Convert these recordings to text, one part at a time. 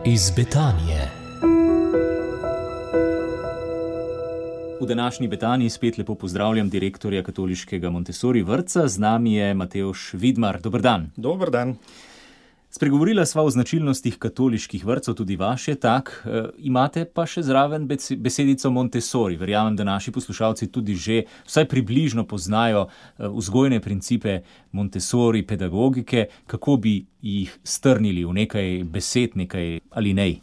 iz Betanije. V današnji Betaniji spet lepo pozdravljam direktorja katoliškega Montessori vrtca. Z nami je Matevž Vidmar. Dober dan. Dober dan. Spregovorila sva o značilnostih katoliških vrtcev, tudi vaš je tak. Imate pa še zraven besedico Montessori. Verjamem, da naši poslušalci tudi že vsaj približno poznajo vzgojne principe Montessori pedagogike. Kako bi jih strnili v nekaj besed, nekaj alinej?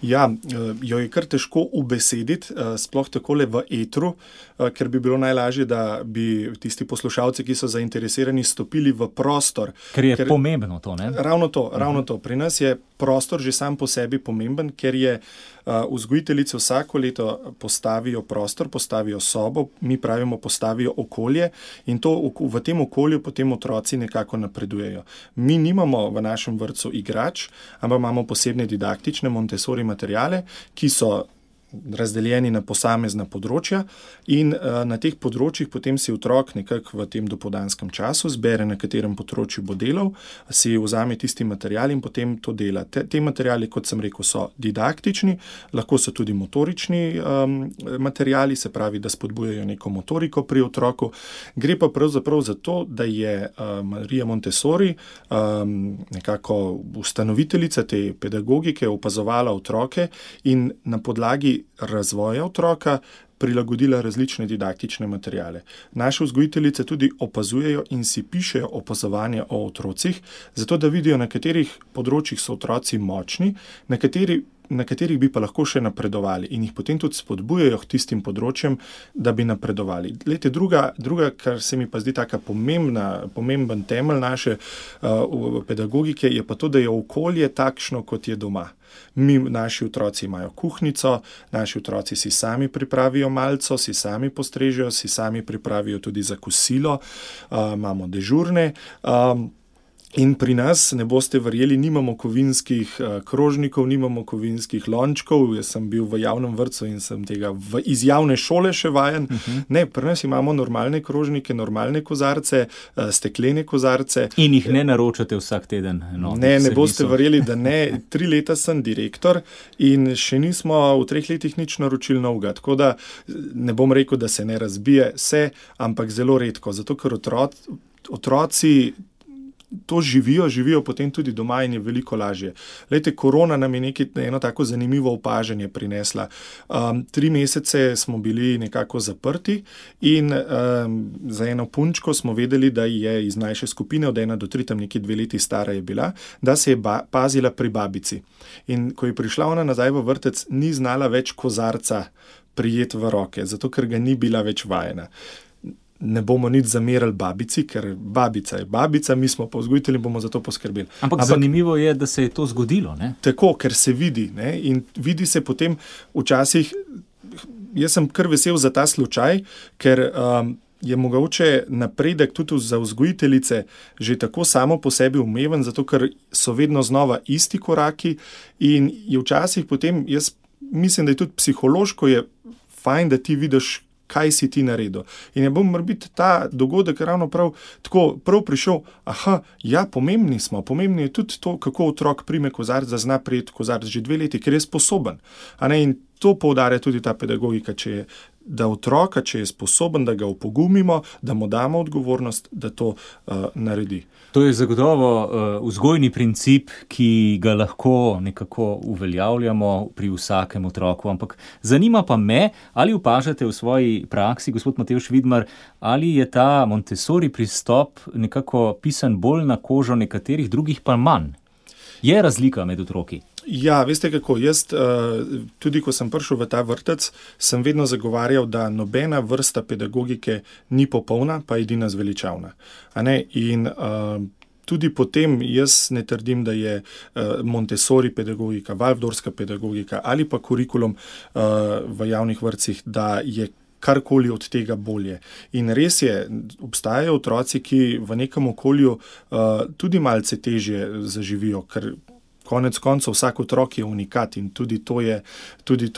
Ja, jo je kar težko ubesediti, sploh takole v etru, ker bi bilo najlažje, da bi tisti poslušalci, ki so zainteresirani, stopili v prostor. Ker pomembno to, ne? Ravno to. Pri nas je prostor že sam po sebi pomemben, ker je vzgojiteljice vsako leto postavijo prostor, postavijo sobo, mi pravimo postavijo okolje in to v tem okolju potem otroci nekako napredujejo. Mi nimamo v našem vrtcu igrač, ampak imamo posebne didaktične Montessori materiale, ki so razdeljeni na posamezna področja in na teh področjih potem si otrok nekako v tem dopoldanskem času zbere, na katerem področju bo delal, si vzame tisti material in potem to dela. Te materiali, kot sem rekel, so didaktični, lahko so tudi motorični materiali, se pravi, da spodbujajo neko motoriko pri otroku. Gre pa pravzaprav za to, da je Marija Montessori, nekako ustanoviteljica te pedagogike, opazovala otroke in na podlagi razvoja otroka prilagodila različne didaktične materiale. Naše vzgojiteljice tudi opazujejo in si pišejo opazovanja o otrocih, zato da vidijo, na katerih področjih so otroci močni, na katerih bi pa lahko še napredovali in jih potem tudi spodbujajo k tistim področjem, da bi napredovali. Glejte, druga, kar se mi pa zdi taka pomemben temelj naše pedagogike, je pa to, da je okolje takšno, kot je doma. Naši otroci imajo kuhnico, naši otroci si sami pripravijo malco, si sami postrežejo, si sami pripravijo tudi za kosilo, imamo dežurne. In pri nas, ne boste verjeli, nimamo kovinskih krožnikov, nimamo kovinskih lončkov. Jaz sem bil v javnem vrtcu in sem tega iz javne šole še vajen. Ne, pri nas imamo normalne krožnike, normalne kozarce, steklene kozarce. In jih ne naročate vsak teden? Ne boste verjeli, da ne. 3 leta sem direktor in še nismo v 3 letih nič naročili novega. Tako da ne bom rekel, da se ne razbije, ampak zelo redko. Zato, ker otroci to živijo potem tudi doma in je veliko lažje. Glejte, korona nam je eno tako zanimivo opažanje prinesla. 3 mesece smo bili nekako zaprti in za eno punčko smo vedeli, da je iz mlajše skupine, od 1 do 3, tam nekje 2 leti stara je bila, da se je pazila pri babici. In ko je prišla ona nazaj v vrtec, ni znala več kozarca prijeti v roke, zato ker ga ni bila več vajena. Ne bomo nič zamerali babici, ker babica je babica, mi smo pa vzgojitelji, bomo za to poskrbeli. Ampak zanimivo je, da se je to zgodilo, ne? Tako, ker se vidi, ne? In vidi se potem včasih, jaz sem kar vesel za ta slučaj, ker je mogoče napredek tudi za vzgojiteljice že tako samo po sebi umeven, zato ker so vedno znova isti koraki in je včasih potem, jaz mislim, da je tudi psihološko je fajn, da ti vidiš, kaj si ti naredil. In je bom morbiti ta dogodek ravno prav prišel, pomembni smo, pomembni je tudi to, kako otrok prime kozarc, da zna prijeti kozarc že 2 leti, ker je sposoben. In to poudarja tudi ta pedagogika, da otroka, če je sposoben, da ga opogumimo, da mu damo odgovornost, da to naredi. To je zagotovo vzgojni princip, ki ga lahko nekako uveljavljamo pri vsakem otroku. Ampak zanima pa me, ali opažate v svoji praksi, gospod Matevž Vidmar, ali je ta Montessori pristop nekako pisan bolj na kožo nekaterih, drugih pa manj? Je razlika med otroki? Ja, veste kako, jaz tudi ko sem prišel v ta vrtec, sem vedno zagovarjal, da nobena vrsta pedagogike ni popolna, pa edina zveličavna. In tudi potem jaz ne trdim, da je Montessori pedagogika, Waldorfska pedagogika ali pa kurikulum v javnih vrtcih, da je karkoli od tega bolje. In res je, obstajajo otroci, ki v nekem okolju tudi malce težje zaživijo, ker Konec koncev vsak otrok je unikat in tudi to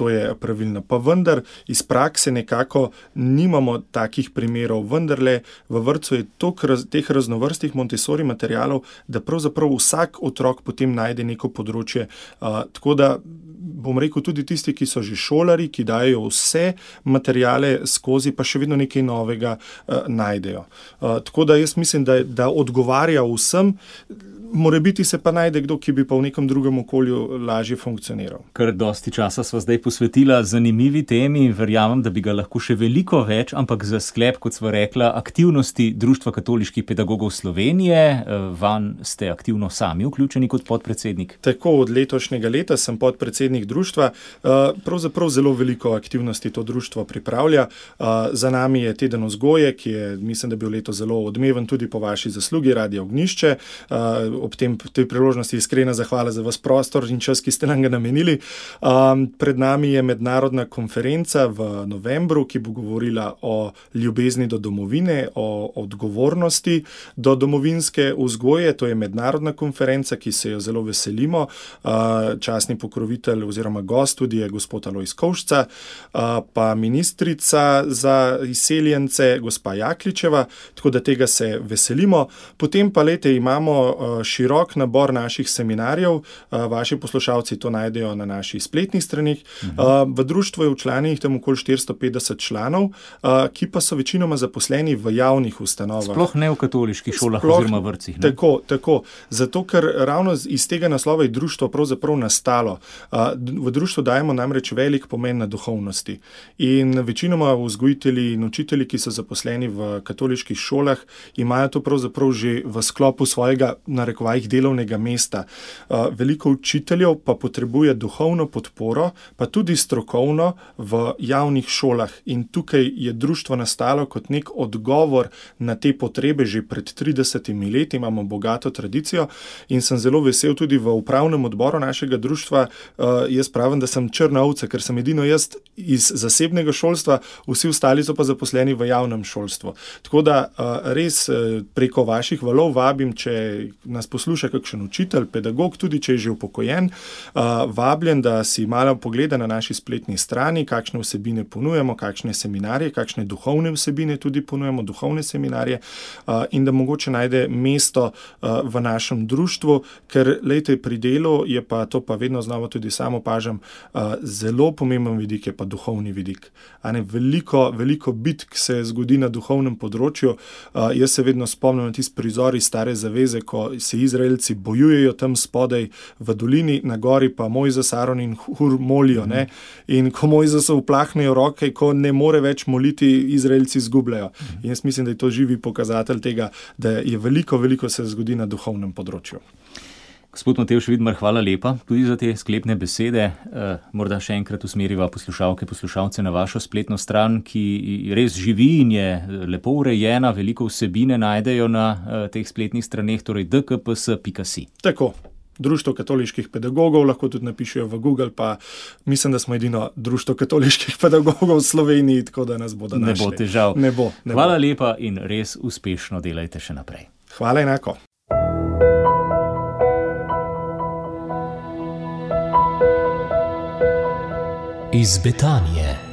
je pravilno. Pa vendar iz prakse nekako nimamo takih primerov. Vendarle v vrtcu je toliko teh raznovrstnih Montessori materialov, da pravzaprav vsak otrok potem najde neko področje. Tako da bom rekel, tudi tisti, ki so že šolari, ki dajo vse materiale skozi, pa še vedno nekaj novega najdejo. Tako da jaz mislim, da odgovarja vsem. Morebiti se pa najde kdo, ki bi pa v nekem drugem okolju lažje funkcioniral. Kar dosti časa sva zdaj posvetila zanimivi temi, verjamem, da bi ga lahko še veliko več, ampak za sklep, kot sva rekla, aktivnosti Društva katoliških pedagogov Slovenije, van ste aktivno sami vključeni kot podpredsednik. Tako, od letošnjega leta sem podpredsednik društva. Pravzaprav zelo veliko aktivnosti to društvo pripravlja. Za nami je teden vzgoje, ki je, mislim, da bil letos zelo odmeven tudi po vaši zaslugi, Radio Ognjišče. Ob tej priložnosti iskrena zahvala za vas prostor in čas, ki ste nam ga namenili. Pred nami je mednarodna konferenca v novembru, ki bo govorila o ljubezni do domovine, o odgovornosti do domovinske vzgoje. To je mednarodna konferenca, ki se jo zelo veselimo. Častni pokrovitelj oziroma gost tudi je gospod Alojz Kovšca, pa ministrica za izseljence, gospa Jakličeva, tako da tega se veselimo. Potem pa imamo širok nabor naših seminarjev. Vaši poslušalci to najdejo na naših spletnih stranih. V društvu je včlanjenih tam okoli 450 članov, ki pa so večinoma zaposleni v javnih ustanovah. Sploh ne v katoliških šolah oziroma vrtcih. Tako. Zato, ker ravno iz tega naslova je društvo pravzaprav nastalo. V društvu dajemo namreč velik pomen na duhovnosti. In večinoma vzgojitelji in učitelji, ki so zaposleni v katoliških šolah, imajo to pravzaprav že v sklopu svojega delovnega mesta. Veliko učiteljev pa potrebuje duhovno podporo, pa tudi strokovno v javnih šolah. In tukaj je društvo nastalo kot nek odgovor na te potrebe. Že pred 30 leti imamo bogato tradicijo in sem zelo vesel tudi v upravnem odboru našega društva. Jaz pravim, da sem črna ovca, ker sem edino jaz iz zasebnega šolstva, vsi ostali so pa zaposleni v javnem šolstvu. Tako da res preko vaših valov vabim, če nas posluša kakšen učitelj, pedagog, tudi če je že upokojen, vabljen, da si malo pogleda na naši spletni strani, kakšne vsebine ponujemo, kakšne seminarje, kakšne duhovne vsebine tudi ponujemo, duhovne seminarje, in da mogoče najde mesto v našem društvu, ker lejte, pri delu je pa to, pa vedno znova tudi sam opažam, zelo pomemben vidik je pa duhovni vidik. Veliko bitk se zgodi na duhovnem področju. Jaz se vedno spomnim na tisti prizor iz Stare zaveze, ko se Izraelci bojujejo tam spodaj v dolini, na gori pa Mojzes, Aron in Hur molijo. Ne? In ko Mojzesu uplahnejo roke, ko ne more več moliti, Izraelci izgubljajo. In jaz mislim, da je to živi pokazatelj tega, da je veliko se zgodi na duhovnem področju. Gospod Matevž Vidmar, hvala lepa tudi za te sklepne besede. Morda še enkrat usmeriva poslušalce na vašo spletno stran, ki res živi in je lepo urejena, veliko vsebine najdejo na teh spletnih straneh, torej dkps.si. Tako. Društvo katoliških pedagogov, lahko tudi napišejo v Google, pa mislim, da smo edino društvo katoliških pedagogov v Sloveniji, tako da nas bodo našli. Ne bo težav. Ne bo. Hvala lepa in res uspešno delajte še naprej. Hvala enako. Iz Betanije.